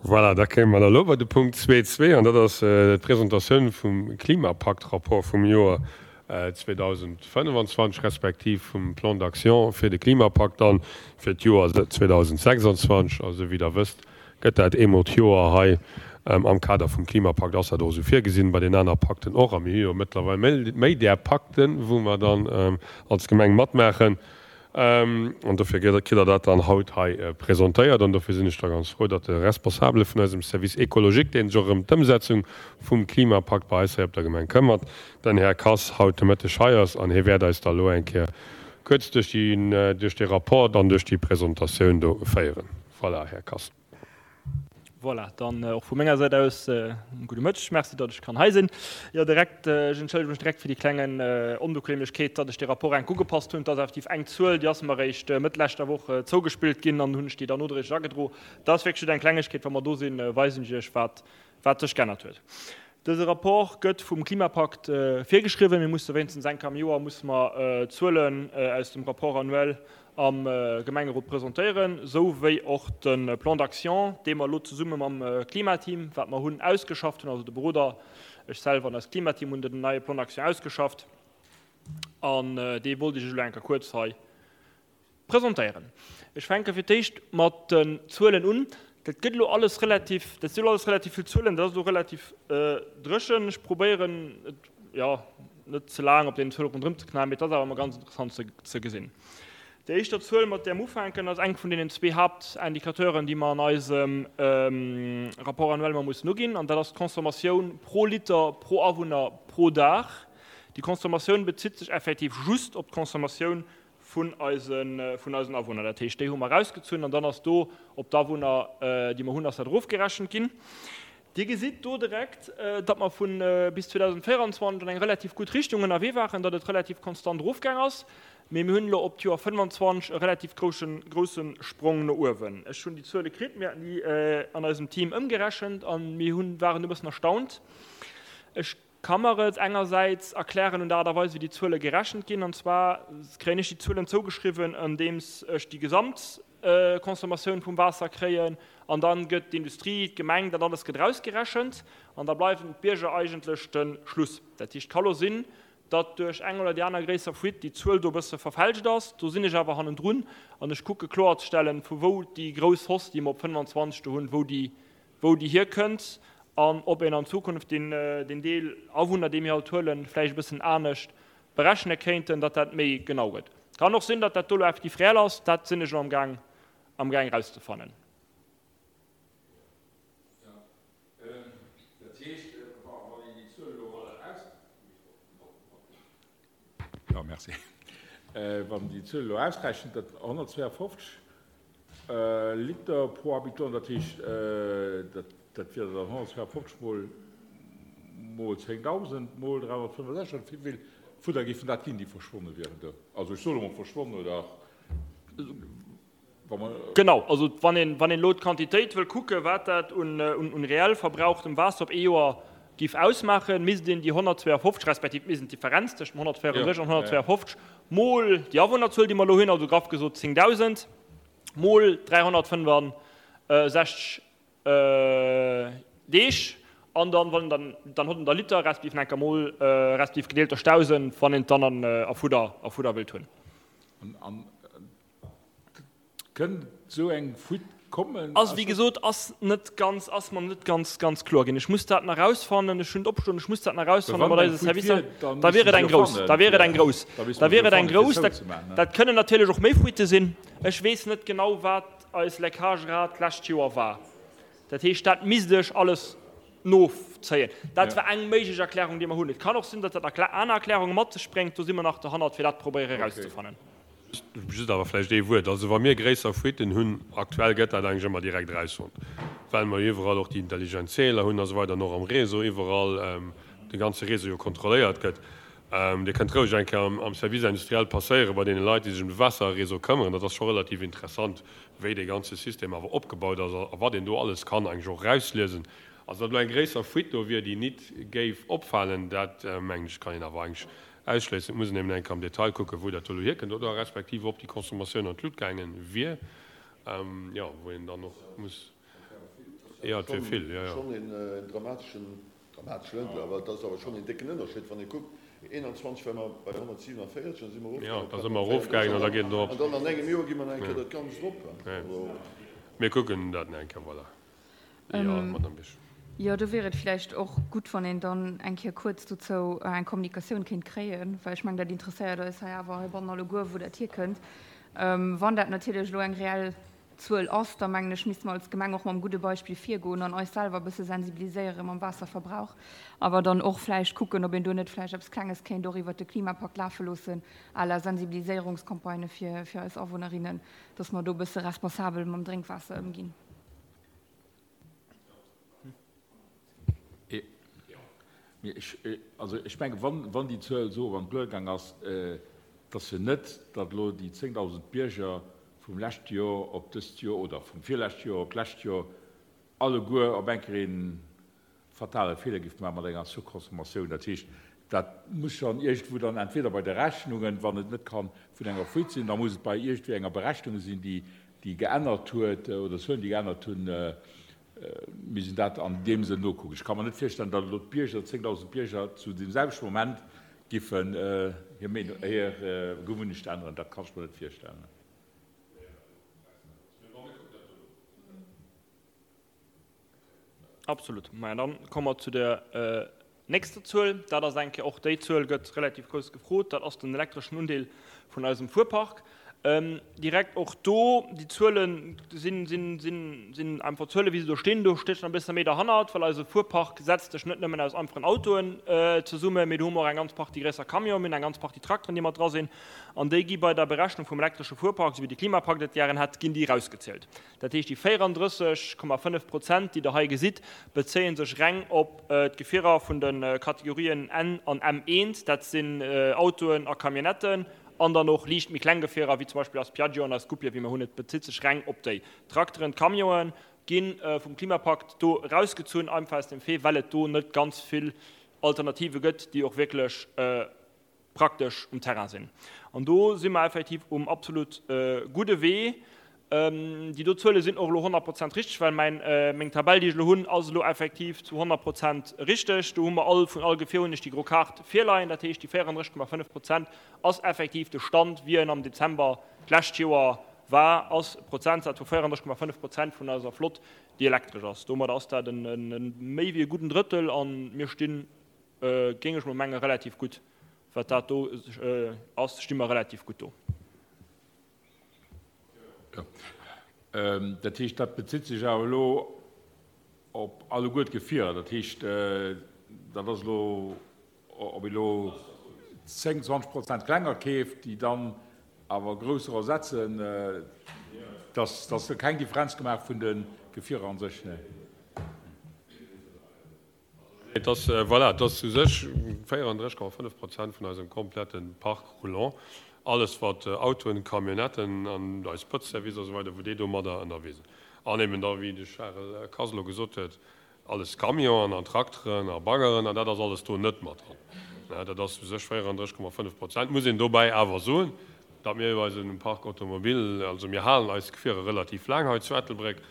Voilà, da kéime mer da elo bei de Punkt 2.2, an dat ass d'Presentatioun vum Klimapakt-Rapport vum Joer 2025 respektiv vum Plan d'action fir de Klimapakt dann fir d'Joer 2026. Also wéi Der wësst, gëtt dat eemol d'Joer hei am Kader vum Klimapakt ass dat och esou virgesinn, bei den aner Pakten och. A mir hu jo mëttlerweil méi där Pakten, wou mer dann als Gemeng matmaachen. An dofir kritt Der dat dann haut hei presentéiert. An dofir sinn ech da ganz frou, datt de Responsabele vun eisem Service écologique, dee sech och ëm d'Ëmsetzung vum Klimapakt bei eis hei op der Gemeng këmmert, den Här Kass, haut de Mëtteg hei ass. An hie wäert eis da elo eng Kéier kuerz duerch déi, duerch dee Rapport an duerch déi Presentatioun do féieren. Voilà, Här Kass. Voilà, dann och vu menger Säit aus e gudde Mëtteg. Merci, datt ech kann hei sinn. Jo, direkt, ech entschëllege mech direkt fir déi klengen Onbequemlechkeet, datt ech de Rapport enk ugepasst hunn. Et ass effektiv eng Zuel, déi ass mer eréischt Mëtt leschter Woch zougespillt ginn an hunn ech déi dann nodréiglech agedro. Dat ass wierklech just eng Klengegkeet. Wa mer do sinn, weisen ech Iech, wat wat sech geännert huet. Dëse Rapport gëtt vum Klimapakt virgeschriwwen. Mir musse wéinstens eng Kéier am Joer musse mer Zuelen aus dem Rapport annuel am Gemengerot presentéieren, esou wéi och de Plan d'action, dee mer elo zesumme mam Klimateam, wat mer hunn, ausgeschafft hunn. Also de Beroder, ech selwer an eist Klimateam hunn den neie Plan d'action ausgeschafft an dee wollt ech Iech elo eng Kéier kuerz hei Presentéieren. Ech fänke fir d'éischt mat den Zuelen un. Dat gëtt elo alles relativ, dat si elo alles relativ vill Zuelen, dat ass elo relativ dréchen. Ech probéieren et, jo, net ze laang op deenen Zuele ronderëm ze knallen, mee et ass awer ëmmer ganz interessant ze ze gesinn. Déi éischter Zuel, mat där mer ufänken, ass eng vun deenen zwee Haaptindicateuren, déi mer an eisem Rapport annuel ëmmer mussen uginn, an dat ass d'Consommatioun pro Liter pro Awunner pro Dag. Déi Consommatioun bezitt sech effektiv just op d'Consommatioun vun eisen, vun eisen Awunner. Dat heescht, déi hu mer erausgezunn an dann ass do op d'Awunner, déi mer hunn, ass dat erofgerechent ginn. Dir gesitt do direkt, datt mer vu bis 2024 an eng relativ gutt Richtung ënnerwee waren, datt et relativ konstant erofgaang ass, mee mir hunn elo op d'Joer 25 e relativ groussen, grousse Sprong no uewen. Ech hunn déi Zuele kritt, mir haten déi an eisem Team ëmgerechent a mir hunn, waren e bëssen erstaunt. Ech Ka mer et engersäits erklären un der Aart a Weis, wéi déi Zuele gerechent ginn. An zwar kréien ech déi Zuelen zougeschriwwen, andeems ech déi Gesamtconsommatioun vum Waasser kréien. An da gëtt d'Industrie, d'Gemeng, dat alles gëtt erausgerechent. An da bleiwen d'Bierger eigentlech de Schluss. Dat heescht, et ka lo sinn, datt duerch eng oder déi aner gréisser Fuite déi Zuel do e bësse verfälscht ass. Do sinn ech awer hannendrun an ech kucke kloerzestellen, vu wou déi grouss Hausse, déi mer op 25 do hunn, wou déi wou déi hierkënnt an ob een an Zukunft deen Deel Awunner, dee mir haut huelen, vläicht e bëssen anescht berechne kéinten, datt dat méi genau gëtt. Kann och sinn, datt dat do elo effektiv reell ass, dat sinn ech elo amgaang amgaang erauszefannen. Jo, merci. Wann een déi Zuel elo ausrechent, dat 152 Liter pro Habitant, dat heescht, dat wier dann 152 mol mol 10.000 mol 365, wéi vill Fudder géifen dat ginn, déi verschwonne wieren do? Also ech soe lo mol verschwonnen oder. Genau, also wann een, wann een elo d'Quantitéit wëll kucken, wat dat un, un reell verbrauchtem Waasser op ee Joer géif ausmaachen, misst een déi 152, respektiv misst een d'Differenz tëscht dem 134 an 152 mol déi Awunnerzuel, déi mer elo hunn, also graff gesot 10.000, mol 365 Deeg, an dann, wann dann, dann huet en der Liter, respektiv enker mol, respektiv gedeelt duerch 1.000, wann een et dann an, a Fudder, a Fudder wëllt hunn. An Kënnt esou eng Fuite kommen? Ass, wéi gesot, ass net ganz, ass mer net ganz, ganz kloer ginn. Ech muss dat nach erausfannen. Ech hunn et opstoen, ech muss dat nach erausfannen mat eise Servicer. Da wier et eng grouss, da wier et eng grouss, da wier et eng grouss. Dat kënnen natierlech och méi Fuitte sinn. Ech weess net genau, wat eis Leckagerate d'lescht Joer war. Dat heescht, dat misst ech alles nozéien. Dat war eng méiglech Erklärung, déi mer hunn. Et kann och sinn, datt dat aner Erklärunge mat sech bréngt. Do si mer nach derhannert, fir dat probéiere erauszefannen. Just awer vläicht ee Wuert. Also wa mir gréisser Fuiten hunn, aktuell gëtt dat eigentlech ëmmer direkt erausfonnt, well mer jo iwwerall och déi intelligent Zähler hunn a sou weider an och am Réseau iwwerall de ganze Réseau jo kontrolléiert gëtt. Dir kënnt roueg eng Kéier am Service industriel passéiere bei deene Leit, déi sech ëm de Waasserréseau këmmeren. Dat ass scho relativ interessant, wéi dee ganze System awer opgebaut ass a wat een do alles kann eigentlech och erausliesen. Also datt elo eng gréisser Fuite do wier, déi nit géif opfalen, dat mengen ech kann een awer eigentlech Ausschléissen. Et muss een eben eng Kéier am Detail kucken, wou dat do elo hierkënnt oder respektiv ob déi Consommatioun an d'Lut gaange wier, jo, wou een dann och muss. Jo, et wier vill, jo, jo. Schonn een dramateschen, dramatesch net, awer et ass awer schonn een décken Ënnerscheed, wann ee kuckt, 21 ware mer bei 147, da si mer erofgaangen op 134 an da geet et erop. An dann an engem Joer gi mer nach eng Kéier dat Ganzt erop. Also. Mir kucken dat nach eng Kéier, voilà. Jo, Madame Bisch. Jo, do wier et vläicht och gutt, wann een dann eng Kéier kuerz dozou eng Kommunikatioun kéint kréien, well ech mengen, dat interesséiert eis hei awer heibannen alleguer, wou dat hierkënnt. Wann dat natierlech elo eng reell Zuel ass, da mengen ech, misste mer als Gemeng och mam gudde Beispill virgoen an eis selwer e bësse sensibiliséiere mam Waasserverbrauch, awer dann och vläicht kucken, ob een do net vläicht eppes Klenges kéint och iwwert de Klimapakt lafe loossen à la Sensibiliséierungscampagne fir eis Awunnerinnen, dass mer do e bësse responsabel mam Drénkwaasser ëmginn. Mee ech, also ech mengen, wann, wann déi Zuel esou an d'Luecht gaang ass, et ass jo net, datt elo déi 10.000 Bierger vum leschte Joer op dëst Joer oder vum virleschte Joer op d'lescht Joer alleguer op eng Kéier ee fatale Feeler géife maache mat enger Surconsommatioun. Dat heescht, dat muss schonn iergendwou dann entweder bei de Rechnungen, wann et net ka vun enger Fuite sinn, da muss et bei iergendwéi enger Berechnung sinn, déi, déi geännert huet oder Zuelen, déi geännert hunn, misst een dat an deem Sënn nokucken. Ech ka mer net virstellen, datt elo d'Bierger, 10.000 Bierger zu deem selwechte Moment giffen hir Meenung, hir Gewunnecht änneren. Dat kann ech mer net virstellen. Absolut. Maja, dann komme mer zu der nächster Zuel. Dat ass eng Kéier, och déi Zuel gëtt relativ grouss gefrot, dat ass den elektreschen Undeel vun eisem Fuerpark. Direkt och do, déi Zuele sinn, sinn, sinn, sinn einfach Zuele wéi se do stinn. Do stécht nach e bësse méi derhannert, well eise Fuerpark setzt sech net nëmmen aus einfachen Autoen zesummen, mee do hu mer och eng ganz Partie gréisser Camionen, mir hunn eng ganz Partie Trakteren, déi mat dra sinn. An déi gi bei der Berechnung vum elektresche Fuerpark, esou wéi de Klimapakt et gären hätt, ginn déi erausgezielt. Dat heescht, déi 34,5 Prozent, déi Der hei gesitt, bezéie sech reng op d'Gefierer vun de Kategorien N an M1, dat sinn Autoen a Camionnetten, an dann och liicht méi kleng Gefierer, wéi zum Beispill eis Piaggio an eis Scoopie, wéi mer hunn. Et bezitt sech reng op déi. D'Trakteren, d'Camionen gi vum Klimapakt do erausgezunn, einfach aus dem Fait, well et do net ganz vill Alternative gëtt, déi och wierklech praktesch um Terrain sinn. An do si mer effektiv um absolut gudde Wee. Déi do Zuele sinn och elo 100 Prozent richteg, well mäin, meng Tabell, déi ech elo hunn, ass elo effektiv zu 100 Prozent richteg. Do hu mer all, vun all Gefier hunn ech déi gro Kaart virleien. Dat heescht, déi 34,5 Prozent ass effektiv de Stand, wéi en am Dezember d'lescht Joer war, ass e Prozentsaz vu 34,5 Prozent vun eiser Flott, déi elektresch ass. Domadder ass dat e méi wéi e gudden Drëttel a mir stinn Géing ech mol mengen, relativ gutt. Wat dat do ass, sti mer relativ gutt do. Jo. Dat heescht, dat bezitt sech awer elo op alleguer d'Gefierer. Dat heescht, dat ass elo, ob ee elo 10, 20 Prozent klenger keeft, déi dann awer grousser ersetzen, dass do keng Differenz gemaach vun de Gefierer a sech. Et ass, voilà, et ass u sech 34,5 Prozent vun eisem komplette Parc roulant, alles wat Autoen, Camionnetten an eis Pëtzservice a sou weider, wou déi domadder ënnerwee sinn. An eben da, wéi de Charel Kass elo gesot huet, alles Camionen an Trakteren a Baggeren an dat ass alles do net mat dran. Dat ass u sech 34,5 Prozent. Muss een dobäi awer soen, datt mir jo eise Parc automobile, also mir halen eis Gefierer relativ laang hei zu Ettelbréck,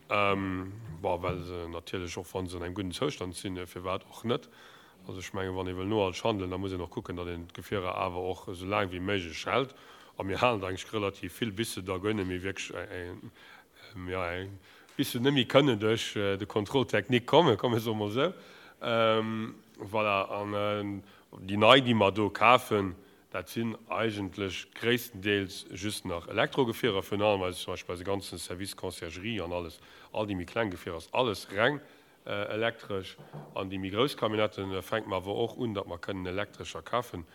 Bon, well se natierlech, och wa se an engem gudden Zoustand sinn, firwat och net? Also ech mengen, wann ee wëll nohalteg handelen, da muss een och kucken, datt een d'Gefierer awer och esou laang wéi méiglech hält. A mir halen der eigentlech relativ vill, bis se da guer net méi wierklech, jo, bis se net méi kënnen duerch de Contrôle technique kommen, komm mir soe mol esou. Voilà, an déi nei, déi mer do kafen, Dat sinn eigentlech gréisstendeels just nach Elektrogefierer, virun allem eise, zum Beispill eise ganzen Service Conciergerie an alles, all déi méi kleng Gefierer ass alles reng elektresch. An déi méi grouss Camionnetten fänke mer awer och un, datt mer kënnen elektrescher kafen.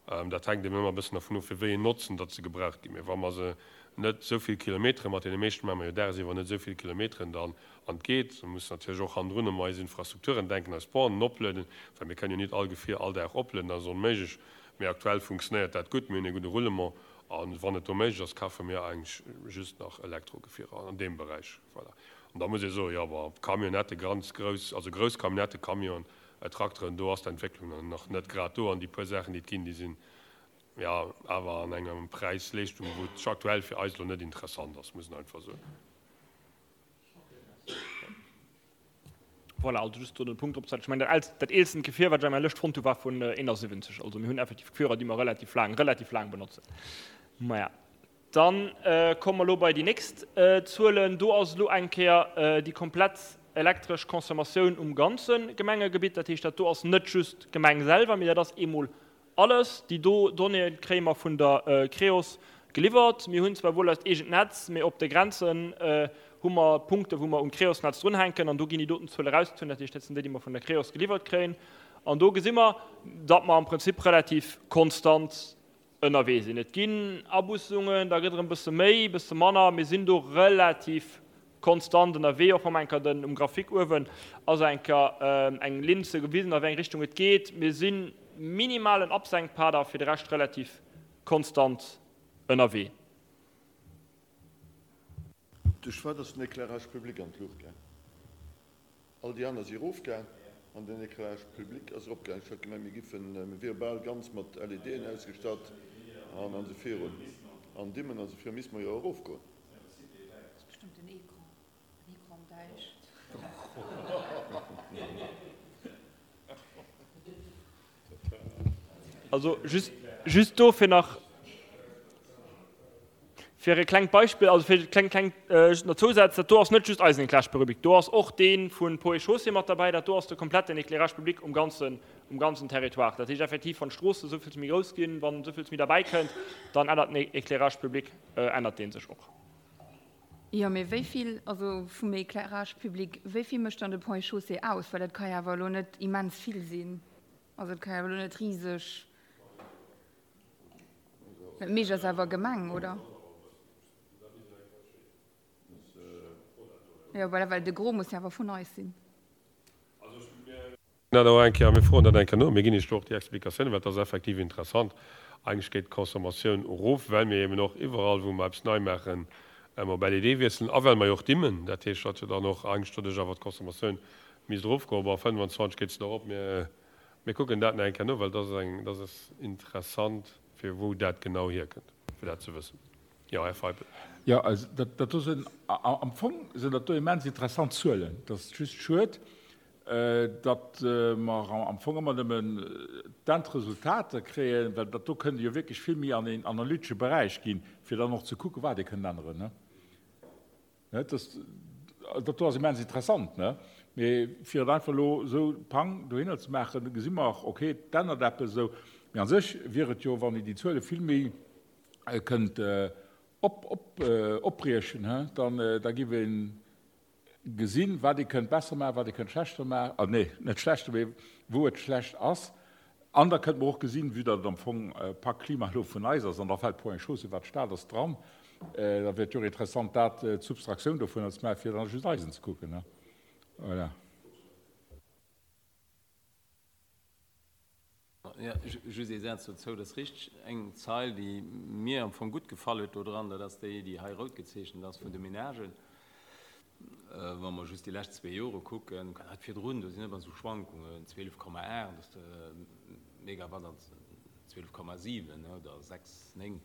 Dat hänkt eben ëmmer e bëssen dervun of, fir wéi een Notzen datt se gebraucht ginn. Mee wa mer se net esou vill Kilometere, mat deene meeschten maache mer jo dagsiwwer net esou vill Kilometeren dann an et geet. Mer mussen natierlech och hannendrun ëm eis Infrastrukturen denken, eis Bornen oplueden, well mir kënnen jo nit all Gefier all Dag oplueden, dat ass onméiglech. Mee aktuell funktionéiert dat gutt, mir hunn ee gudde Roulement a wann et do méiglech ass, kafe mir eigentlech just nach Elektrogefierer an deem Beräich. Voilà. An da muss ee soen, jo, bon, Camionnettë ganz grouss, also grouss Camionnettë, Camionen, Trakteren, do ass d'Entwécklung nach net grad do an déi puer Saachen, déi et ginn, déi sinn jo awer an enger Präis-Leeschtung, wou et aktuell fir eis elo net interessant ass, muss een einfach soen. Voilà, also just do den Punkt drop ze setzen. Ech mengen, dat eelst, dat eelsten Gefier, wat ech an menger Lëscht fonnt hu, war vun 71. Also mir hunn effektiv Gefierer, déi mer relativ laang, relativ laang benotzen. Maja, dann komme mer elo bei déi nächst Zuelen. Do ass elo eng Kéier déi komplett elektresch Consommatioun um ganze Gemengegebitt. Dat heescht, dat do ass net just d'Gemeng selwer, mee dat ass eemol Alles déi do Donnéeë kréie mer vun der Creos geliwwert. Mir hunn zwar wuel eist eegent Netz, mee op de Grenzen hu mer Punkte wou mer um Creos-Netz drunhänken an do ginn déi doten Zuele erausgezunn. Dat heescht, dat sinn déi, déi mer vun der Creos geliwwert kréien. An do gesi mer, datt mer am Prinzip relativ konstant ënnerwee sinn. Et ginn Abussungen, da gëtt erëm e bësse méi, e bësse manner. Mir sinn do relativ Konstant ënnerwee, och wann enker den um Graphique uewen ass enker eng Linn ze gewisen a wéi eng Richtung et geet. Mir si minimalen Absenkpad a fir de Rescht relativ konstant ënnerwee. Duerch wat ass den Éclairage public an d'Luucht gaang? All déi aner si erofgaang an den Éclairage public ass eropgaang. Ech hat gemengt, mir giffen, mir wiere bal ganz mat LEDen ausgestatt an esou virun. An Dimmen an esou virun misste mer jo erofgoen. Also just, just do fir nach fir e klengt Beispill, also fir kleng kleng äh, just nach Zousaz, dat do ass net just eisen Éclairage public, do ass och dee vun Ponts et Chaussées mat derbäi, dat do ass de kompletten Éclairage public um ganzen, um ganzen Territoire. Dat heescht effektiv, wann d'Stroosse souvill méi grouss ginn, wann souvill méi derbäi kënnt, dann ännert den Éclairage public, äh, ännert dee sech och. Jo, mee wéi vill, also vum Éclairage public, wéi vill mécht dann de Ponts et Chaussées aus? Well dat ka jo awer elo net immens vill sinn. Also et ka jo awer elo net riseg, dat meescht ass awer Gemeng, oder? Jo, voilà, well de Gros muss jo awer vun eis sinn. Dat och eng Kéier, mir froen dat eng Kéier no, mir ginn Iech do och déi Explikatiounen, well et ass effektiv interessant. Eigentlech geet d'Consommatioun erof, well mir eben och iwwerall, wou mer eppes nei maachen, op LED wiesselen a well mer jo och dimmen. Dat heescht, datt jo dann och eigentlech doduerch awer d'Consommatioun misst erofgoen. Bon, 25 geet se nach erop. Mir, mir kucken dat nach eng Kéier no, well dat ass eng, dat ass interessant, fir wou dat genau hierkënnt, fir dat ze wëssen. Jo, Här Feipel. Jo, also dat, dat do sinn, am Fong sinn dat do immens interessant Zuelen. Et ass just schued, datt mer am Fong ëmmer nëmmen d'Endresultater kréien, well dat do kënnt ee jo wierklech vill méi an een analytesche Beräich ginn, fir dann och ze kucken, wat ee kënnt änneren. Dat do ass immens interessant, mee fir et einfach elo esou pang dohinner ze maachen, gesi mer, okay, et ännert eppes esou, mee a sech wier et jo, wann een déi Zuele vill méi kënnt opbriechen, dann da giff een Gesinn, wat ee kënnt besser maachen, wat ee kënnt schlechter maachen, ah nee, net schlechter, mee wou et schlecht ass. An da kënnt mer och gesinn, vue datt et am Fong Pak Klima elo vun eis ass, an da fält Point Chaussée, wat d'Stad ass, dran. Da wier et jo och interessant, dat, d'Substraktioun dovunner ze maachen, fir dann just eisen ze kucken, ne? Voilà. Jo, just ee Saz dozou, Dat ass richteg. Eng Zeil, déi mir am Fong gutt gefall huet do dran, dat ass déi, déi hei rout gezeechent ass vun de Menagen. Wa mer just déi lescht zwee Jore kucken, dat virdrun, do sinn ëmmer esou Schwankungen, 12,8 ass de Megawatt an 12,7 oder 6, 9,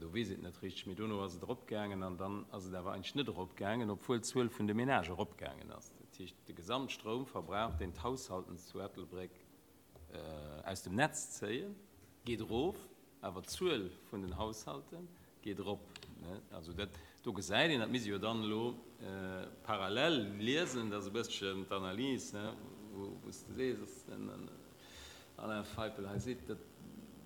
do weess een et net richteg. Mee dono ass et eropgaangen an dann ass et awer eigentlech net eropgaangen, obwuel d'Zuel vun de Menagë eropgaangen ass. Dat heescht, de Gesamtstroumverbrauch, deen d'Haushalten zu Ettelbréck aus dem Netz zéien, geet erof, awer d'Zuel vun den Haushalte geet erop. Also dat do gesäit een, dat misst ee jo dann elo parallel liesen, dat ass e bësschen d'Analys, wou s de sees, dass den Alain Feipel hei seet, dat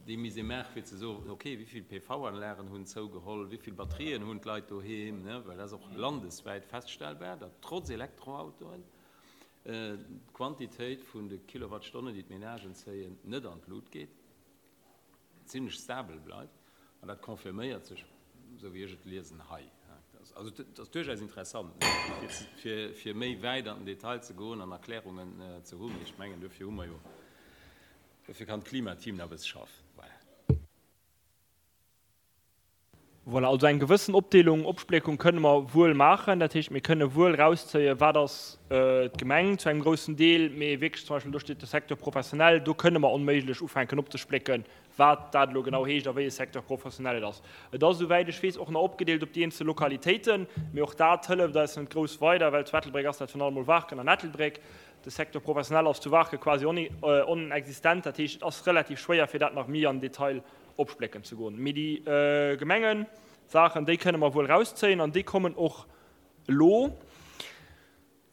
déi misst ee maachen, fir ze soen, okay, wéi vill PV-Anlagen hunn zougeholl, wéi vill Batterien hunn d'Leit doheem, well dat ass och landeswäit feststellbar, datt trotz Elektroautoen, d'Quantitéit vun de Kilowattstonnen, déi d'Menagen zéien, net an d'Lut geet, zimlech stabel bleift. An dat confirméiert sech, esou wéi ech et liesen, hei. Also et ass duerchaus interessant, fir méi wäit an den Detail ze goen an Erklärungen ze hunn. Mee ech mengen, dofir hu mer jo, dofir kann d'Klimateam nach e bësse schaffen. Voilà. Voilà, also eng gewëssen Opdeelung, Opspléckung kënne mer wuel maachen. Dat heescht, mir kënne wuel erauszéien, wat ass d'Gemeng zu engem groussen Deel, mee wierklech zum Beispill, do steet de Secteur professionnel, do kënne mer onméiglech ufänken opzesplécken, wat dat elo genau heescht a wéi e Secteur professionnel et ass. Et ass, esouwäit ech weess, och nach opgedeelt op déi eenzel Lokalitéiten, mee och dat hëlleft eis net grouss weider, well zu Ettelbréck ass dat virun allem mol Waarken an Ettelbréck. De Secteur professionnel ass zu Waarke quasi onexistent, dat heescht, et ass relativ schwéier, fir dat nach méi am Detail opsplécken ze goen. Mee déi Gemengesaachen, déi kënne mer wuel erauszéien an déi kommen och elo.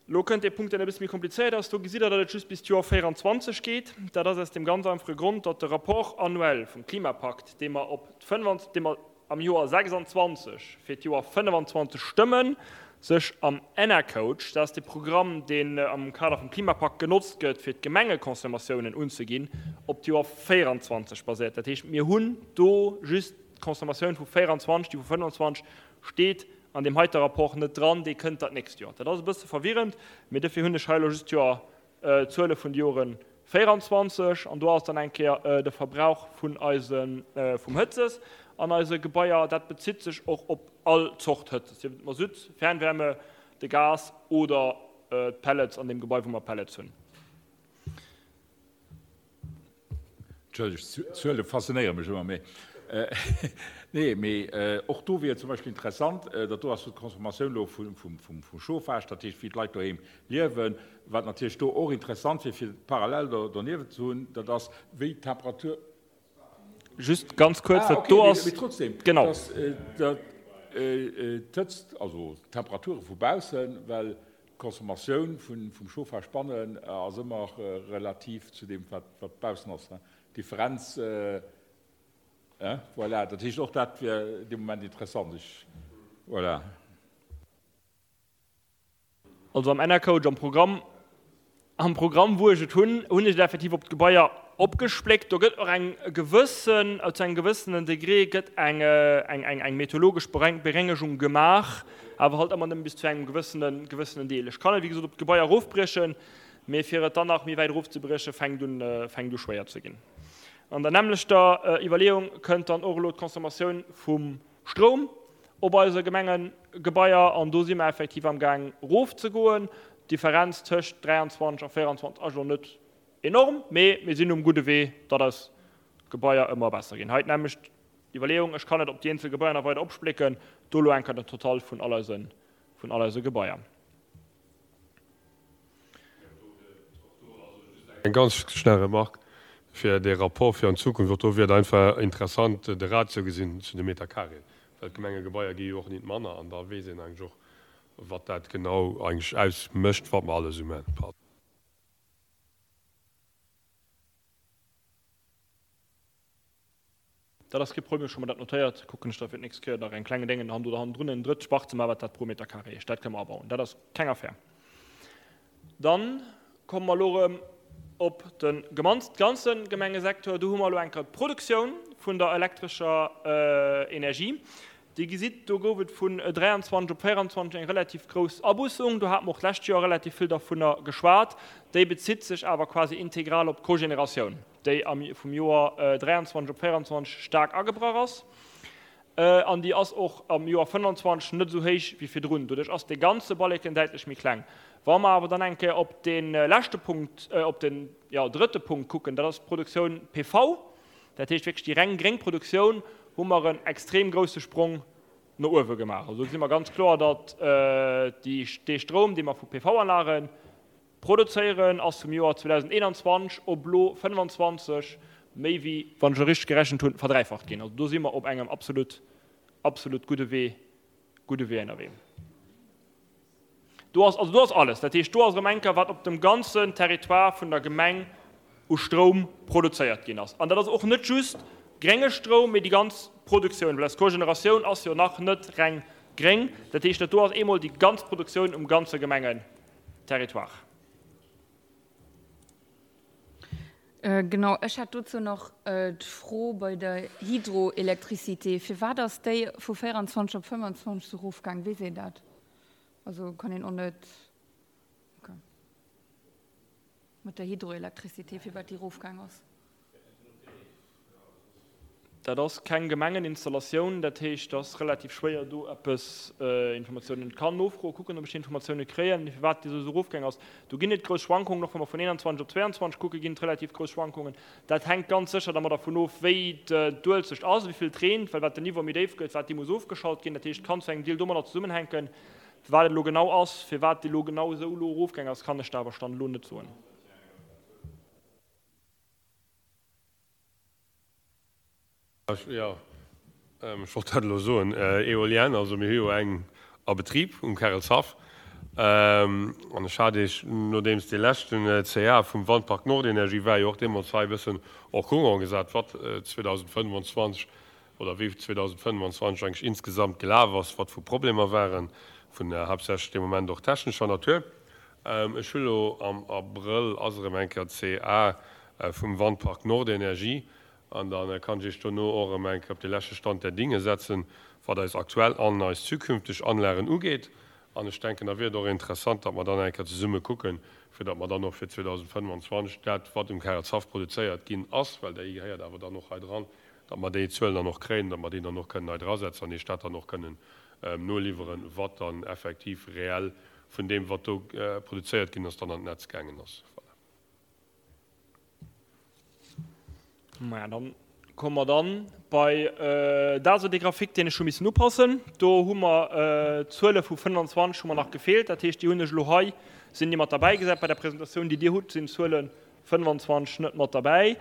Elo kënnt dee Punkt, deen e bësse méi komplizéiert ass. Do gesitt Der, datt et just bis d'Joer 24 geet. Dat ass aus deem ganz einfache Grond, datt de Rapport annuel vum Klimapakt, dee mer op d'fënnf, dee mer am Joer 26 fir d'Joer 25 stëmmen, sech am Enercoach, dat ass dee Programm, deen am Kader vum Klimapakt genotzt gëtt, fir d'Gemengeconsommatiounen unzeginn, op d'Joer 24 baséiert. Dat heescht, mir hunn do just d'Consommatioun vu 24, déi vu 25 steet an deem heite Rapport net dran, déi kënnt dat nächst Joer. Dat ass e bësse verwirrend, mee dofir hunn ech hei elo just d'Joer D'Zuele vun de Jore 24, an do ass dann eng Kéier de Verbrauch vun eise vum Hëtzes an eise Gebaier. Dat bezitt sech och op all Zort Hëtzes, sief et Masutt, Fernwärme, de Gas oder d'Pellets an deem Gebai, wou mer Pellets hunn. Entschëllegt, d'Zuele faszinéiere mech ëmmer méi. Nee, mee och do wier et zum Beispill interessant, dat do ass jo d'Consommatioun elo vum Chauffage, dat heescht wéi d'Leit doheem liewen. Wat natierlech do och interessant wier, fir parallel doniewent ze hunn, dat ass wéi d'Temperatur. Just ganz kuerz, dat do ass. Ah, okay, mee trotzdem, Genau. dass d'Hëtzt, also d'Temperature vu baussen, well D'Consommatioun vum Chauffage bannen ass ëmmer relativ zu deem, wat baussen ass. D'Differenz, voilà. Dat heescht, och dat wier dee Moment interessant. Ech, voilà. Also am Enercoach, am Programm, Am Programm, wou ech et hunn, hunn ech et effektiv op d'Gebaier opgespléckt. Do gëtt och eng gewëssen, zu engem gewëssenen Degré gëtt eng, eng, eng, eng meteorologesch Berengegung gemaach, awer halt ëmmer nëmme bis zu engem gewëssenen, gewëssenen Deel. Ech kann et, wéi gesot, op d'Gebaier erofbriechen, mee fir et dann nach méi wäit erofzebriechen, fänkt un, fänkt u schwéier ze ginn. An der nämmlechter Iwwerleeung kënnt dann och elo d'Consommatioun vum Stroum op eise Gemengegebaier an do si mer effektiv am Gaang erofzegoen. D'Differenz tëscht 23 a 24 ass elo net enorm, mee mir sinn um gudde Wee, datt eis Gebaier ëmmer besser ginn. Hei d'nämmlecht Iwwerleeung, ech kann et op déi eenzel Gebaier nach weider opsplécken, do elo eng Kéier den Total vun all eise, vun all eise Gebaier. Eng ganz schnell Remarque fir dee Rapport fir an d'Zukunft. Och do wier et einfach interessant, de Ratio gesinn zu de Meter carré, well d'Gemengegebaier gi jo och nit manner an da weess een eigentlech och, wat dat genau eigentlech ausmécht, wat mer alles esou maachen. Pardon. Dat ass kee Problem, ech hu mer dat notéiert. Kucken ech da fir d'nächst Kéier nach eng klenge Déngen do hannendrun, en drëtt Spach ze maachen, wat dat pro Meter carré heescht. Dat kënne mer abauen, dat ass keng Affär. Dann komme mer elo erëm op de ganze Gemengesecteur. Do hu mer elo eng Kéier d'Produktioun vun der elektrescher Energie. Dir gesitt, do gouf et vun 23 op 24 eng relativ grouss Abussung. Do hate mer och d'lescht Joer relativ vill dervunner geschwat. Déi bezitt sech awer quasi integral op d'Cogénératioun, déi am vum Joer 23 op 24 staark agebrach ass. An déi ass och am Joer 25 net esou héich wéi virdrun. Doduerch ass dee ganze Balleken däitlech méi kleng. Wa mer awer dann eng Kéier op dee leschte Punkt, op den, jo, drëtte Punkt kucken, dat ass d'Produktioun PV, Dat heescht wierklech déi reng gréng Produktioun, hu mer en extrem grousse Sprong no uewe gemaach. Also do gesi mer ganz kloer, datt dee Stroum, dee mer vu PV-Anlage produzéieren, ass vum Joer 2021 op elo 25 méi wéi, wann ech elo richteg gerechent hunn, verdräifacht ginn. Also do si mer op engem absolut, absolut gudde Wee, gudde Wee ënnerwee. Do ass, also do ass alles. Dat heescht, do ass erëm eng Kéier, wat op dem ganzen Territoire vun der Gemeng u Stroum produzéiert ginn ass. An dat ass och net just grénge Stroum, mee déi ganz Produktioun, well eis Cogeneratioun ass jo nach net reng gréng. Dat heescht, dat do ass eemol déi ganz Produktioun um ganze Gemengenterritoire. Genau, ech hätt dozou nach d'Fro bei der Hydroélectricité. Firwat ass déi vu 24 op 25 esou erofgaang? Weess een dat? Also kann een och net, okay. Mat der Hydroélectricité, firwat déi erofgaang ass? Dat ass keng Gemengeninstallatioun, dat heescht, et ass relativ schwéier do eppes Informatiounen. Ech kann nofroen, kucken, ob ech déi Informatioune kréien, firwat déi esou erofgaang ass. Do ginn et grouss Schwankungen, och wa mer vun 21 op 22 kucken, ginn et relativ grouss Schwankungen. Dat hänkt ganz sécher da mat dervun of, wéi d'Uelzecht ass, wéi vill et reent, well wat den Niveau méi déif gëtt, wat déi muss ofgeschalt ginn. Dat heescht, et kann zu engem Deel domadder zesummenhänken. Firwat et elo genau ass, firwat déi elo genau esou elo erofgaang ass, kann ech der awer Stand elo net soen. Jo, ech wollt dat elo soen. Éolienne, also mir hu jo eng a Betrib um Kärelshaff. An ech hat Iech, nodeems dee leschten CA vum Wandpark Nordenergie war, jo och deemools hei e bëssen en courant gesat, wat 2025 oder wéi 2025 eigentlech insgesamt gelaf ass, wat vu Problemer waren, vun haaptsächlech dee Moment och technescher Natur. Ech hu lo am Abrëll ass erëm eng Kéier CA vum Wandpark Nordenergie An da kann ech Iech dono och erëm eng Kéier op de leschte Stand der Dinge setzen, wat eis aktuell an eis zukünfteg Anlagen ugeet. An ech denken, da wier et och interessant, datt mer dann eng Kéier zesumme kucken, fir datt mer dann och fir 2025 dat, wat um Karelshaff produzéiert ginn ass, well déi gehéiert awer dann och hei dran, datt mer déi Zuelen dann och kréien, datt mer déi dann och kënnen hei drasetzen an Iech dat dann och kënnen noliwweren, wat dann effektiv reell vun deem, wat do produzéiert ginn ass, dann an d'Netz gaangen ass. Voilà. Maja, dann komme mer dann bei dat ass dee Grafik, deen ech hu missen upassen. Do hu mer d'Zuele vu 25 hu mer nach gefeelt. Dat heescht, déi hunn ech elo hei, sinn déi mat derbäi gesat. Bei der Presentatioun, déi Dir hutt, sinn d'Zuele 25 net mat derbäi.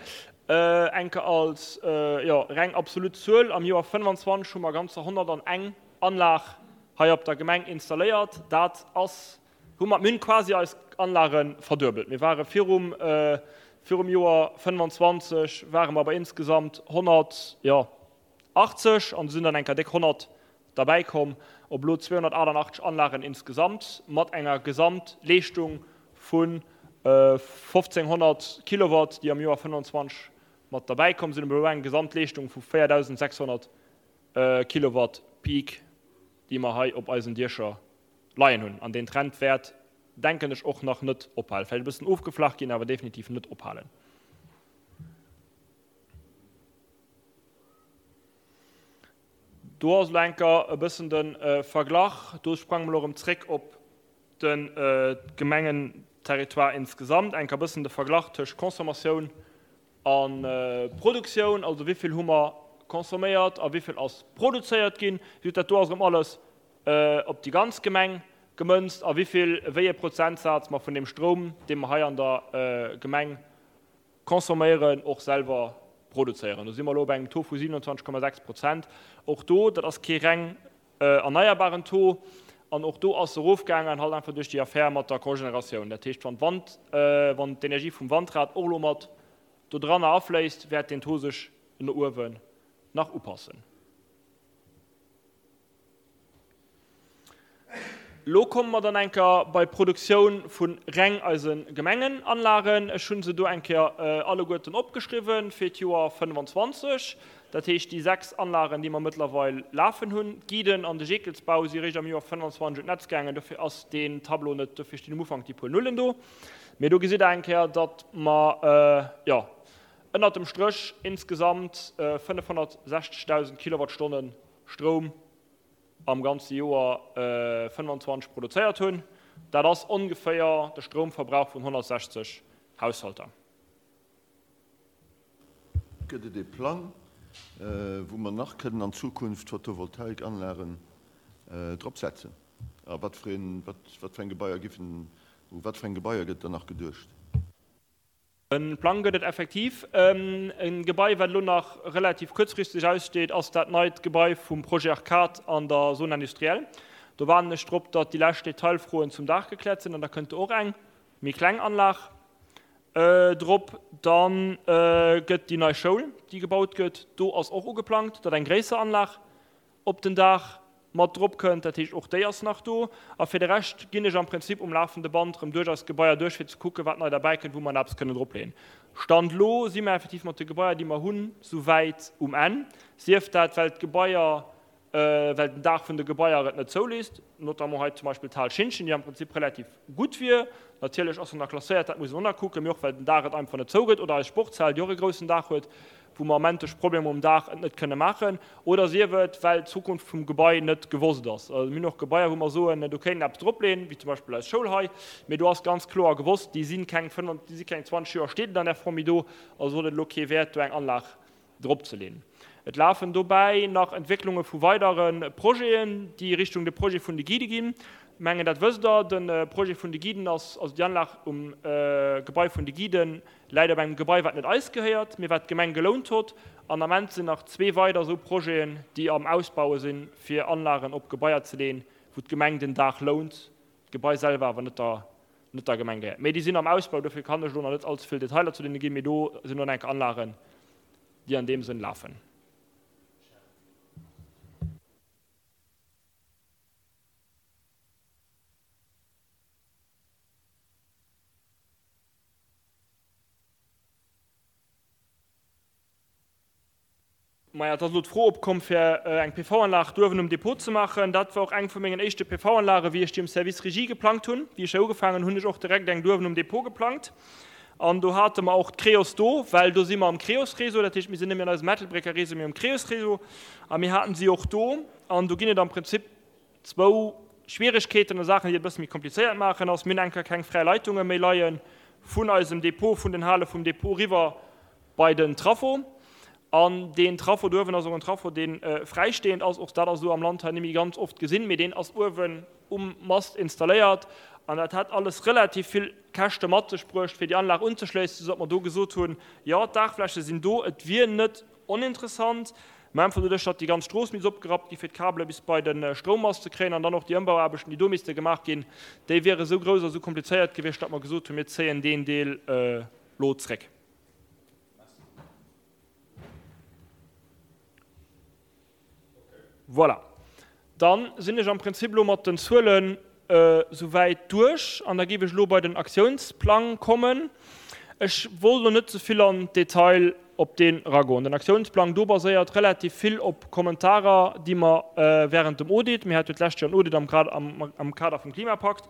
Enke als, jo, reng absolut Zuel, am Joer 25 hu mer ganzer 101 Anlag hei op der Gemeng installéiert. Dat ass Hu mer, mir hunn quasi eis Anlage verduebelt. Mir ware virum, virum Joer 25 ware mer bei insgesamt 100, jo, 80 an do sinn dann eng Kéier déck 100 derbäi komm, op elo 288 Anlagen insgesamt mat enger Gesamtleeschtung vu 1.500 Kilowatt, déi am Joer 25 mat derbäi komm sinn, op elo eng Gesamtleeschtung vu 4.600 Kilowatt Peak, déi mer hei op eisen Diecher leien hunn. An deen Trend wäert, denken ech, och nach net ophalen. Vläicht e bëssen ofgeflacht ginn, awer definitiv net ophalen. Do ass elo enker e bëssen de Verglach. Do sprange mer elo erëm zréck op de Gemengenterritoire insgesamt. Enker e bëssen de Verglach tëscht Consommatioun a Produktioun, also wéi vill hu mer consomméiert a wéi vill ass produzéiert ginn. Just dat do ass erëm alles op déi ganz Gemeng gemënzt a wéivill, wéi ee Prozentsaz mer vun deem Stroum, dee mer hei an der Gemeng consomméieren, och selwer produzéieren. Do si mer elo op engem Taux vu 27,6 Prozent. Och do, dat ass kee reng erneierbaren Taux an och do ass se erofgaangen, halt einfach duerch déi Affär mat der Cogénératioun. Dat heescht, wann d'Wand, wann d'Energie vum Wandrad och elo mat dodranner afléisst, wäert deen Taux sech no uewen nach upassen. Lo komme mer dann eng Kéier bei d'Produktioun vu reng eise Gemengenanlagen. Ech hu se do eng Kéier alleguerten opgeschriwwen fir d'Joer 25. Dat heescht déi 6 Anlagen, déi mer mëttlerweil lafen hunn. D'Guiden an de Jeekelsbau si réischt am Joer 25 un d'Netz gaangen, dofir ass deen Tableau net, dofir stinn um Ufank déi puer Nullen do. Mee do gesitt Der eng Kéier, datt mer, jo, ënnert dem Stréch insgesamt 560.000 Kilowattstonne Stroum am ganze Joer 25 produzéiert hunn. Dat ass ongeféier de Stroumverbrauch vun 160 Haushalter. Gëtt et ee Plang, wou mer nach kënnen an Zukunft Photovoltaikanlagen drop setzen? A wat fir eng Gebaier giffen, u wat fir eng Gebaier gëtt dann nach geduecht? E Plang gëtt et effektiv. E Gebai, wat elo nach relativ kuerzfristeg aussteet, ass dat neit Gebai vum Projet Arcade an der Zone industrielle. Do waarden ech drop, datt déi lescht Detailfroen zum Daach gekläert sinn an da kënnt do och eng méi kleng Anlag drop. Da gëtt déi nei Schoul, déi gebaut gëtt, do ass och ugeplangt, datt eng gréisser Anlag op den Daach mat drop kënnt, dat heescht och déi ass nach do. A fir de Rescht ginn ech am Prinzip um lafende Band erëm duerch eis Gebaier duerch, fir ze kucken, wat nei derbäi kënnt, wou mer nach eppes kënnen dropleeën. Stand elo si mer effektiv mat de Gebaier, déi mer hunn, souwäit um Enn, sief dat, well d'Gebaier, well den Daach vun de Gebaier et net zouléisst, notamment hei zum Beispill d'Hal Schintgen, déi am Prinzip relativ gutt wier. Natierlech ass se nach klasséiert, dat muss een och nach kucken, mee och well den Daach et einfach net zougëtt, oder eis Sportshal, déi och e groussen Daach huet. wou mer Ament duerch Problemer um Daach et net kënne maachen, oder sief et, well d'Zukunft vum Gebai net gewosst ass. Also mir hunn och Gebaier, wou mer soen, do kéint een eppes dropleeën, wéi zum Beispill eis Schoul hei, mee do ass ganz kloer gewosst, déi si keng 25, déi si keng 20 Joer steet et an där Form méi do, also huet et elo kee Wäert, do eng Anlag dropzeleeën. Et lafen dobäi nach Entwécklunge vu weidere Projeten, déi Richtung de Projet vun de Guidë ginn. Ech mengen, dat wësst Der, de Projet vun de Guiden ass, also déi Anlag um Gebai vun de Guiden läit op engem Gebai, wat net eis gehéiert, mee wat d'Gemeng gelount hott. An am Ament sinn nach zwee weider esou Projeten, déi am Ausbaue sinn, fir Anlagen op Gebaier ze leeën, wou d'Gemeng den Daach lount, d'Gebai selwer awer net der net der Gemeng gehéiert. Mee déi sinn am Ausbau, dofir kann ech elo nach net allze vill Detailer zu deene ginn, mee do sinn elo enk Anlagen, déi an deem Sënn lafen. Maja, et ass elo d'Fro opkomm, fir eng PV-Anlag do uewen um Depot ze maachen. Dat war och eng vu mengen éischte PV-Anlagen, wéi ech déi um Service Régie geplangt hunn. Wéi ech hei ugefaangen hunn, hunn ech och direkt eng do uewen um Depot geplangt. An do hate mer och d'Creos do, well do si mer am Creos-Réseau, dat heescht, mir sinn net méi an eisem Ettelbrécker Réseau, mee am Creos-Réseau. A mir haten si och do. An do ginn et am Prinzip zwou Schwieregkeeten oder Saachen, déi et e bësse méi komplizéiert maachen, ass, mir hunn eng Kéier keng fräi Leitunge méi leie vun eisem Depot, vun den Hale vum Depot eriwwer bei den Traffo. An deen Traffo do uewen ass och en Traffo, dee fräistehend ass. Och dat ass elo am Land hei net méi ganz oft gesinn, mee deen ass uewen um Mast installéiert. An dat hätt alles relativ vill Käschte mat sech bruecht, fir déi Anlag unzeschléissen, soudatt mer do gesot hunn, Jo, d'Daachfläche sinn do, et wier net oninteressant, mä einfach doduerch, datt déi ganz Strooss misst opgerappt gi fir d'Kabele bis bei de Stroummast ze kréien an dann och déi Ëmbauaarbechten, déi do misste gemaach ginn, déi wiere sou grouss a sou komplizéiert gewiescht, datt mer gesot hunn, mir zéien deen Deel elo zréck. Voilà. Dann sinn ech am Prinzip elo mat den Zuelen souwäit duerch an da géif ech elo bei den Aktiounsplang kommen. Ech wollt elo net ze vill an d'Detail op deen eragoen. Den Aktiounsplang do baséiert relativ vill op Kommentarer, déi mer während dem Audit, mir hate jo d'lescht Joer en Audit am Kader vum Klimapakt,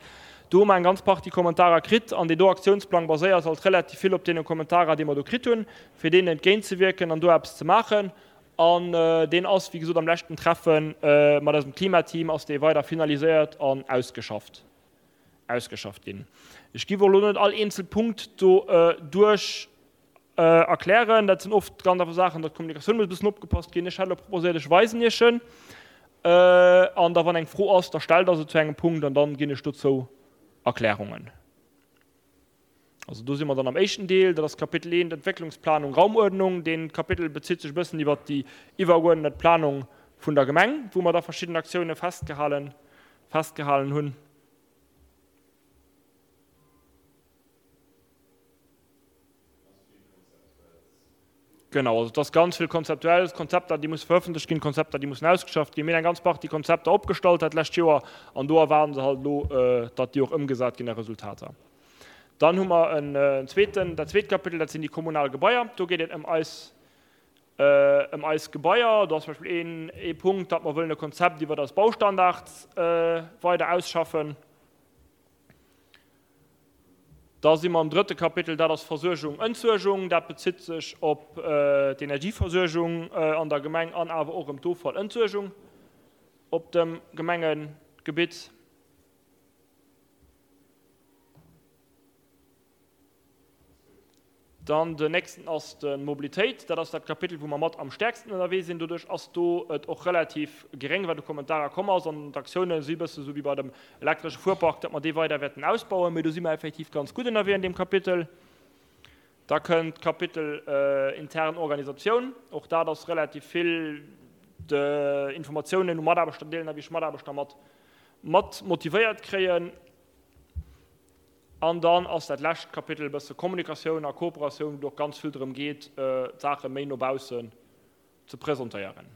do hu mer eng ganz Partie Kommentarer kritt an deen do Aktiounsplang baséiert halt relativ vill op deene Kommentarer, déi mer do kritt hunn, fir deenen entgéintzewierken an do eppes ze maachen. An deen ass, wéi gesot, am leschten Treffe mat eisem Klimateam ass dee weider finaliséiert an ausgeschafft, ausgeschafft ginn. Ech giff och elo net all eenzel Punkt do duerch erklären. Dat sinn oft ganz einfach Saachen, datt d'Kommunikatioun muss e bëssen opgepasst ginn. Ech hätt elo proposéiert, ech weisen Iech en an da wann eng Fro ass, da stellt Der se zu engem Punkt an dann ginn ech dozou Erklärungen. Also do si mer dann am éischten Deel, dat ass Kapitel 1, Entwécklungsplanung, Raumuerdnung. Dee Kapitel bezitt sech e bëssen iwwert déi iwwergeuerdnet Planung vun der Gemeng, wou mer da verschidden Aktioune festgehalen, festgehalen hunn. Genau, also et ass ganz vill Konzeptuelles, Konzepter, déi musse verëffentlecht ginn, Konzepter, déi mussen ausgeschafft ginn. Mir hunn eng ganz Partie Konzepter opgestallt dat lescht Joer an do erwaarden se halt elo, datt déi och ëmgesat ginn a Resultater. Dann hu mer en zweeten, dat zweet Kapitel, dat sinn déi kommunal Gebaier. Do geet et ëm eis, ëm eis Gebaier. Do ass zum Beispill een, ee Punkt, datt mer wëllen e Konzept iwwert eis Baustandards weider ausschaffen. Da si mer am drëtte Kapitel, dat ass Versuergung, Entsuergung. Dat bezitt sech op d'Energieversuergung an der Gemeng an awer och ëm d'Offallentsuergung op dem Gemengegebitt. Dann den nächsten ass de Mobilitéit. Dat ass dat Kapitel, wou mer mat am stäerksten ënnerwee sinn. Doduerch ass do et och relativ geréng, wat u Kommentarer komm ass. An d'Aktioune si e bësse sou wéi bei dem elektresche Fuerpark, datt mer dee weider wäerten ausbauen. Mee do si mer effektiv ganz gutt ënnerwee an deem Kapitel. Da kënnt d'Kapitel intern Organisatioun. Och dat ass relativ vill Informatiounen u Mataarbechter deelen a wéi ech Mataarbechter mat mat motivéiert kréien. An dann ass dat lescht Kapitel e bësse Kommunikatioun a Kooperatioun, wou et och ganz vill drëm geet, d'Saache méi no baussen ze presentéieren.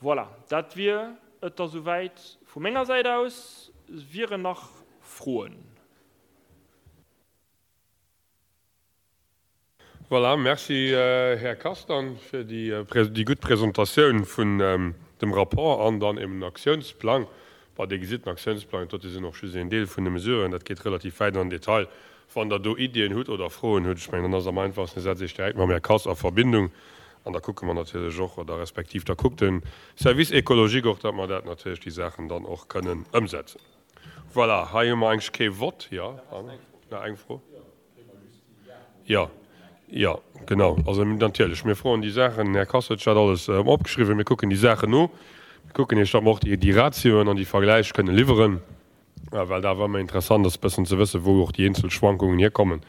Voilà, dat wier et da souwäit vu menger Säit aus. Wieren nach Froen? Voilà, merci Här Castan fir déi gutt Presentatioun vun dem Rapport an dann eben den Aktiounsplang. Bon, Dir gesitt, den Aktiounsplang, dat dote sinn och just een Deel vun de Mesuren, dat geet relativ wäit an den Detail. Wann Der do Iddien hutt oder Froen hutt, ech mengen, dann ass et am einfachsten, Dir setzt Iech direkt mam Här Kass a Verbindung an da kucke mer natierlech och, oder respektiv da kuckt de Service écologique och, datt mer dat natierlech, déi Saachen dann och kënnen ëmsetzen. Voilà, hei hu mer eigentlech kee Vott. Jo, nach eng Fro? Jo, jo, genau. Also natierlech, mir froen déi Saachen. Den Här Kass huet sech dat alles opgeschriwwen. Mir kucken déi Saachen no. Mir kucken Iech, datt mer och déi Ratioen an déi Vergläich kënne liwweren, well dat awer ëmmer interessant ass, e bëssen ze wëssen, wou och déi eenzel Schwankungen hierkommen.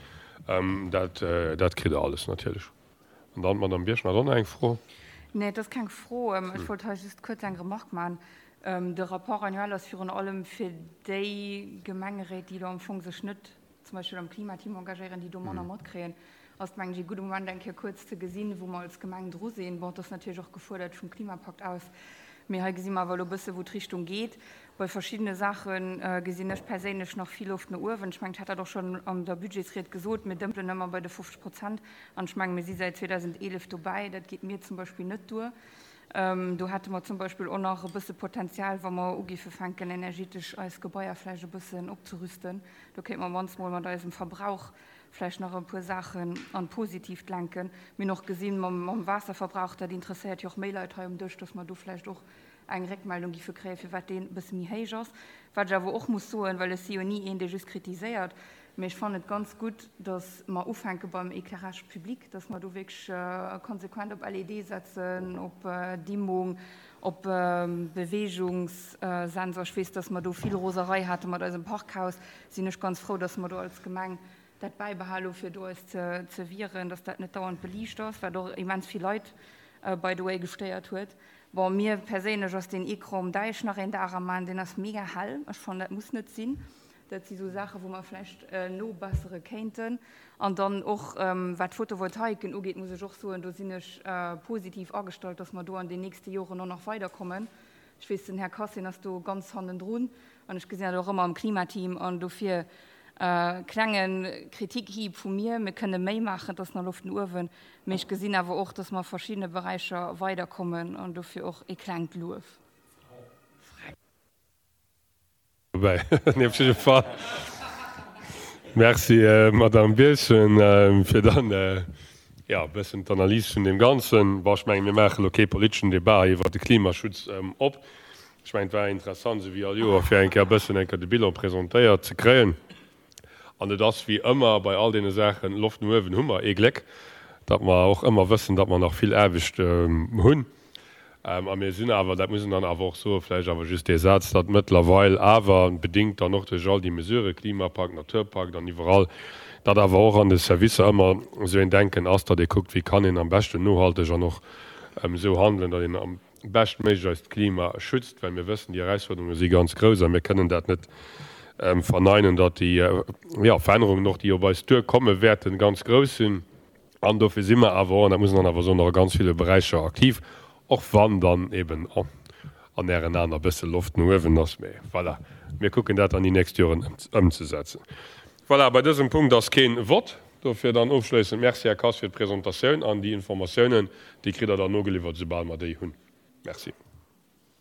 Dat, dat kritt Der alles natierlech. An dann d'Madame Birchen hat och nach eng Fro. Nee, et ass keng Fro. Ech wollt hei just kuerz eng Remarque maachen. De Rapport annuel ass virun allem fir déi Gemengeréit, déi elo am Fong sech net zum Beispill am Klimateam engagéieren, déi do manner matkréien, ass et, mengen ech, ee gudde Moment, eng Kéier kuerz ze gesinn, wou mer als Gemeng dru sinn. Bon, et ass natierlech och gefuerdert vum Klimapakt aus, mee hei gesi mer awer elo e bësse wou d'Richtung geet. Bei verschiddene Saache gesinn ech perséinlech nach vill Loft no uewen. Ech mengen, ech hat dat och schonn an der Budgetsried gesot, mir dëmpelen ëmmer bei de 50 Prozent an ech mengen, mir si säit 2011 dobäi. Dat geet mir zum Beispill net duer. Do hätte mer zum Beispill och nach e bësse Potenzial, wa mer ugiffe fänken, energetesch eis Gebaier vläicht e bëssen opzerüsten. Do kéinte mer mannst mol mat eisem Verbrauch vläicht nach e puer Saachen an d'Positiivt lenken. Mir hunn och gesinn, mam Waasserverbrauch, dat interesséiert jo och méi Leit hei um Dësch, dass mer do vläicht och eng Réckmeldung giffe kréien, firwat deen e bësse méi héich ass. Wat ech awer och muss soen, well ech si jo ni een, dee just kritiséiert, mee ech fannen et ganz gutt, dass mer ufänke beim Éclairage public, dass mer do wierklech konsequent op LED setzen, op Dimmung, op Beweegungssensor. Ech weess, dass mer do vill Roserei hate mat eisem Parkhaus. Sinn ech ganz frou, dass mer do als Gemeng dat bäibehale hu fir do eis ze wieren, dass dat net dauernd beliicht ass, wat och immens vill Leit, by the way, gestéiert huet. Bon, mir perséinlech ass deen Ecran um Däich nach een Dag am Aen, deen ass mega hell. Ech fannen, dat muss net sinn. Dat si sou Saachen, wou mer vläicht nobessere kéinten. An dann och, wat d'Photovoltaiken ugeet, muss ech och soen, do sinn ech positiv agestallt, dass mer do an den nächste Joren och nach weiderkommen. Ech weess, den Här Cassin ass do ganz hannendrun an ech gesinn dat och ëmmer am Klimateam. An dofir klenge Kritikhieb vu mir, Mir kënne méi maachen, et ass nach Loft no uewen, mee ech gesinn awer och, dass mer a verschiddene Beräicher weiderkommen an dofir och ee klengt Luef. Dobäi. Nee, op jidde Fall Merci, Madamm Birchen, fir dann, jo, e bëssen d'Analys vun deem Ganzen. Bon, ech mengen, mir maache lo kee politeschen Debat hei iwwert de Klimaschutz op. Ech mengen, et war interessant, esou wéi all Joer, fir eng Kéier e bëssen eng Kéier de Bilan presentéiert ze kréien. An et ass wéi ëmmer bei all deene Saachen, Loft no uewen hu mer, ee Gléck, datt mer och ëmmer wëssen, datt mer nach vill Aarbecht hunn. A mir sinn awer, dat muss een dann awer och soen, vläicht awer just dee Saz, datt mëttlerweil awer, bedéngt dann och duerch all déi Mesurë, Klimapakt, Naturpakt an iwwerall, datt awer och an de Servicer ëmmer esou een Denken ass, datt ee kuckt, wéi kann een am beschten nohalteg an och esou handelen, datt een am beschtméiglech eist Klima schützt, well mir wëssen, déi Erausfuerderunge si ganz grouss a mir kënnen dat net verneinen, datt déi Verännerungen och, déi op eis duerkomme wäerten, ganz grouss sinn. An dofir si mer awer och, an dat muss een dann awer soen, och a ganz ville Beräicher aktiv, och wann dann eben an Ären Aen e bësse Loft no uewen ass. Mee voilà, mir kucken dat dann déi nächst Joren ëmzesetzen. Voilà, bei dësem Punkt ass kee Vott. Dofir dann ofschléissend Merci, Här Kass, fir d'Presentatioun an déi Informatiounen. Déi kritt Der dann nogeliwwert, soubal mer déi hunn. Merci.